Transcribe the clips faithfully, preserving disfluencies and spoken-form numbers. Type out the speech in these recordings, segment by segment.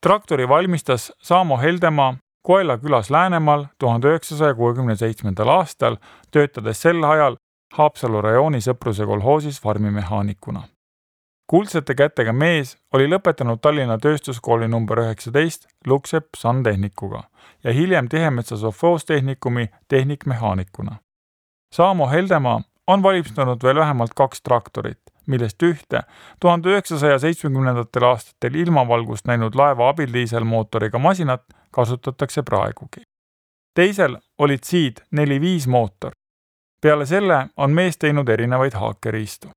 Traktori valmistas Saamo Heldemaa Koela külas Läänemaal tuhande üheksasaja kuuekümne seitsmendal aastal, töötades sel ajal Haapsalu rajooni Sõpruse kolhoosis farmimehaanikuna. Kuldsete kätega mees oli lõpetanud Tallinna tööstuskooli number üheksateist Luksep Santehnikuga ja hiljem Tihemetsa sovhoostehnikumi tehnikmehaanikuna. Saamo Heldemaa on valmistanud veel vähemalt kaks traktorit, millest ühte tuhande üheksasaja seitsmekümnendatel aastatel ilmavalgust näinud laeva abil diiselmootoriga masinat kasutatakse praegugi. Teisel olid siid neli viis mootor. Peale selle on mees teinud erinevaid haakeriistu.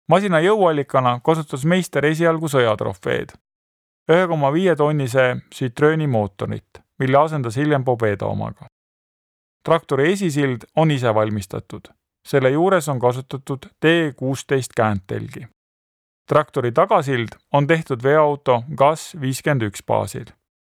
Masina jõuallikana kasutas meister esialgu sõjatrofeed. ühe koma viie tonnise Citroeni mootorit, mille asendas hiljem Pobeda omaga. Traktori esisild on ise valmistatud. Selle juures on kasutatud T kuusteist kääntelgi. Traktori tagasild on tehtud veoauto Gas viiskümmend üks baasil.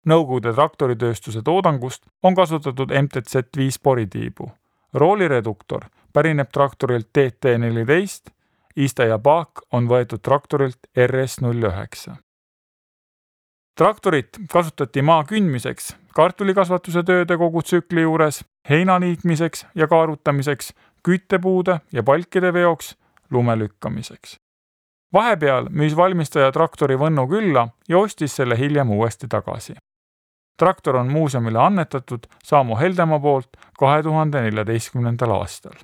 Nõukogude traktoritööstuse toodangust on kasutatud M T Z viis poritiibu. Roolireduktor pärineb traktorilt T T neliteist, iste ja paak on võetud traktorilt R S null üheksa. Traktorit kasutati maa kündmiseks, kartulikasvatuse tööde kogu tsükli juures, heina niitmiseks ja kaarutamiseks, küttepuude ja palkide veoks, lume lükkamiseks. Vahepeal müüs valmistaja traktori Võnnu külla ja ostis selle hiljem uuesti tagasi. Traktor on muuseumile annetatud Saamo Heldemaa poolt kahe tuhande neljateistkümnendal aastal.